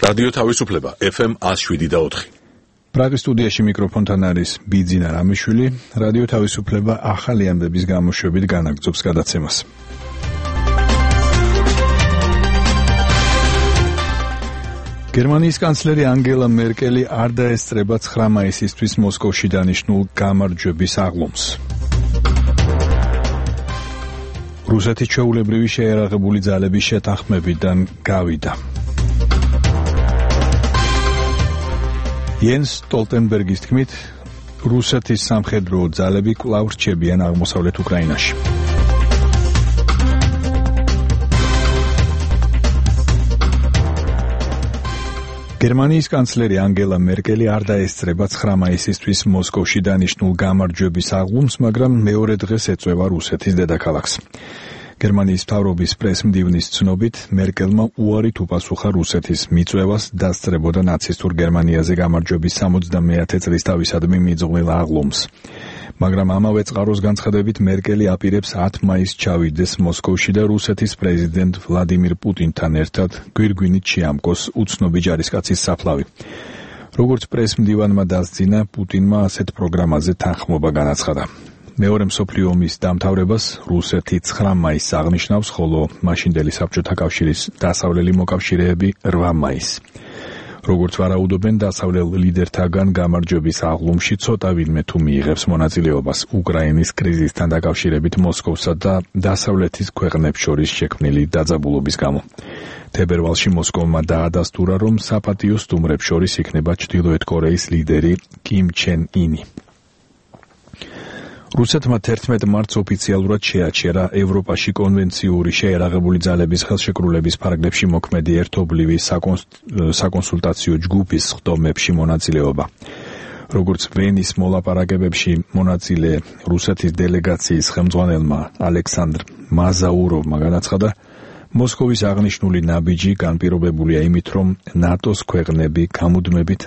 რადიო თავისუფლება FM 107.4. პრაღის სტუდიაში მიკროფონთან არის ბიძინა რამიშვილი. რადიო თავისუფლება ახალი ამბების გამოშვებით განაგრძობს გადაცემას. გერმანიის კანცლერი ანგელა მერკელი არ დაესწრება 9 მაისისთვის მოსკოვში დანიშნულ გამარჯვების აღლუმს. რუსეთის ჩვეულებრივი შეიარაღებული ძალების შეთანხმებიდან გავიდა. იენს სტოლტენბერგის თქმით, რუსეთის სამხედრო ძალები კვლავ რჩებიან აღმოსავლეთ უკრაინაში. გერმანიის კანცლერი ანგელა მერკელი არ დაესწრება 9 მაისისთვის მოსკოვში დანიშნულ გამარჯვების აღლუმს, მაგრამ მეორე დღეს ეწვევა რუსეთის დედაქალაქს. გერმანიის მთავრობის პრესმდივნის ცნობით, მერკელმა უარით უპასუხა რუსეთის მიწვევას დასწრებოდა ნაცისტურ გერმანიაზე გამარჯვების 70-ე წლის თავისადმი მიძღვნილ აღლუმს. მაგრამ ამავე წყაროს განცხადებით, მერკელი აპირებს 10 მაისს ჩავიდეს მოსკოვში და რუსეთის პრეზიდენტ ვლადიმირ პუტინთან ერთად გვირგვინით შეამკოს უცნობი ჯარისკაცის საფლავი. როგორც პრესმდივანმა დასძინა, პუტინმა ასეთ პროგრამაზე თანხმობა განაცხადა. მეორე მსოფლიო ომის დამთავრებას რუსეთი 9 მაისს აღნიშნავს, ხოლო მაშინდელი საბჭოთა კავშირის დასავლელი მოკავშირეები 8 მაისს. როგორც ვარაუდობენ, დასავლელ ლიდერთაგან გამარჯვების აღლუმში ცოტა ვინმე თუ მიიღებს მონაწილეობას უკრაინის კრიზისთან დაკავშირებით მოსკოვსა და დასავლეთის ქვეყნებს შორის შექმნილი დაძაბულობის გამო. თებერვალში მოსკოვმა დაადასტურა, რომ საპატიო სტუმრებს შორის იქნება ჩრდილოეთ კორეის ლიდერი კიმ ჩენ ინი. რუსეთმა 11 მარტს ოფიციალურად შეაჩერა ევროპაში კონვენციური შეიარაღებული ძალების ხელშეკრულების ფარგლებში მოქმედი ერთობლივი საკონსულტაციო ჯგუფის სხდომებში მონაწილეობა. როგორც ვენის მოლაპარაკებებში მონაწილე რუსეთის დელეგაციის ხელმძღვანელმა ალექსანდრ მაზაუროვმა განაცხადა, მოსკოვის აღნიშნული ნაბიჯი განპირობებულია იმით, რომ ნატოს ქვეყნები გამუდმებით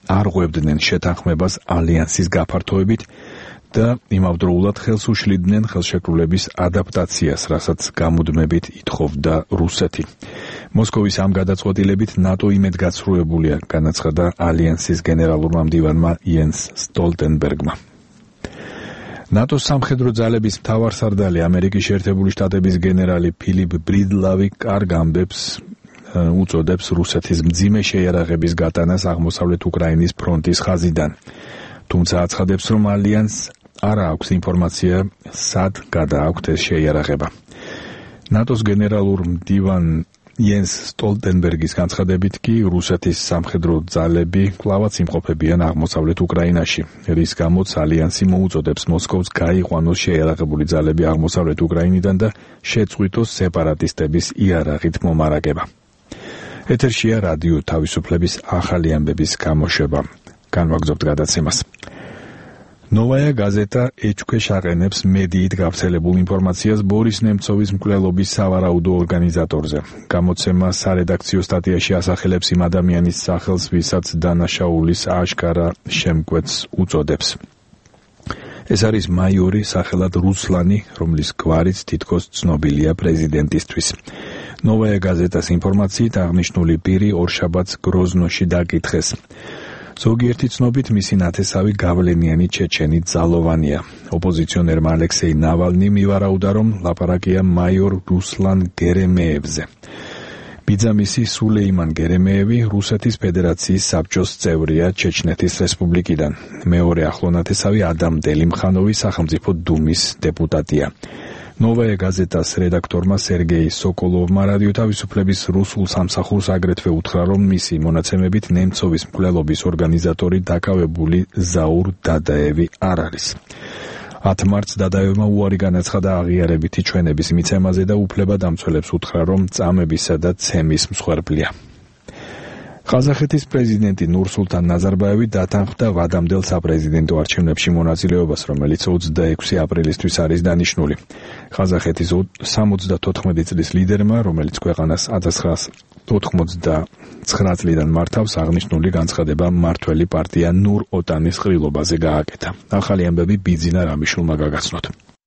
არ ღვევდნენ შეთანხმებას ალიანსის გაფართოებით და იმავდროულად ხელს უშლიდნენ ხელშეკრულების ადაპტაციას, რასაც გამუდმებით ითხოვდა რუსეთი. მოსკოვის ამ გადაწყვეტილებით ნატო იმედგაცრუებულია, განაცხადა ალიანსის გენერალურმა მდივანმა იენს სტოლტენბერგმა. ნატოს სამხედრო ძალების მთავარსარდალი ამერიკის შეერთებული შტატების გენერალი ფილიპ ბრიდლავი კარგ ამბებს უწოდებს რუსეთის მძიმე შეიარაღების გატანას აღმოსავლეთ უკრაინის ფრონტის ხაზიდან. თუმცა აცხადებს, რომ ალიანსს არ აქვს ინფორმაცია, სად გადააქვთ ეს შეიარაღება. ნატოს გენერალურ მდივან იენს სტოლტენბერგის განცხადებით კი რუსეთის სამხედრო ძალები კვლავაც იმყოფებიან აღმოსავლეთ უკრაინაში, რის გამოც ალიანსი მოუწოდებს მოსკოვს გაიყვანოს შეიარაღებული ძალები აღმოსავლეთ უკრაინიდან და შეწყვიტოს სეპარატისტების იარაღით მომარაგება. ეთერშია რადიო თავისუფლების ახალი ამბების გამოშვება. განვაგრძობთ გადაცემას. ნოვაია გაზეტა ეჭქვეშ აყენებს მედიით გავრცელებულ ინფორმაციას ბორის ნემცოვის მკვლელობის სავარაუდო ორგანიზატორზე. გამოცემა სარედაქციო სტატიაში ასახელებს იმ ადამიანის სახელს, ვისაც დანაშაულის აშკარა შემკვეთს უწოდებს. ეს არის მაიორი სახელად რუსლანი, რომლის გვარიც თითქოს ცნობილია პრეზიდენტისთვის. ნოვაია გაზეტას ინფორმაციით აღნიშნული პირი ორშაბათს გროზნოში დაკითხეს. ზოგიერთი ცნობით მისი ნათესავი გავლენიანი ჩეჩენი ძალოვანია. ოპოზიციონერმა ალექსეი ნავალნი მივარაუდა, რომ ლაპარაკია მაიორ რუსლან გერემეევზე. ბიძამისი სულეიმან გერემეევი რუსეთის ფედერაციის საბჭოს წევრია ჩეჩნეთის რესპუბლიკიდან. მეორე ახლო ნათესავი ადამ დელიმხანოვი სახელმწიფო დუმის დეპუტატია. ნოვაია გაზეტას რედაქტორმა სერგეი სოკოლოვმა რადიო თავისუფლების რუსულ სამსახურს აგრეთვე უთხრა, რომ მისი მონაცემებით ნემცოვის მკვლელობის ორგანიზატორი დაკავებული ზაურ დადაევი არ არის. 10 მარტს დადაევმა უარი განაცხადა აღიარებითი ჩვენების მიცემაზე და უფლებადამცველებს უთხრა, რომ წამებისა და ცემის მსხვერპლია. ყაზახეთის პრეზიდენტი ნურსულთან ნაზარბაევი დათანხმდა ვადამდელ საპრეზიდენტო არჩევნებში მონაწილეობას, რომელიც 26 აპრილისთვის არის დანიშნული. ყაზახეთის 74 წლის ლიდერმა, რომელიც ქვეყანას 1989 წლიდან მართავს, აღნიშნული განცხადება მმართველი პარტია ნურ ოტანის ყრილობაზე გააკეთა. ახალი ამბები ბიძინა რამიშვილმა გაგაცნოთ.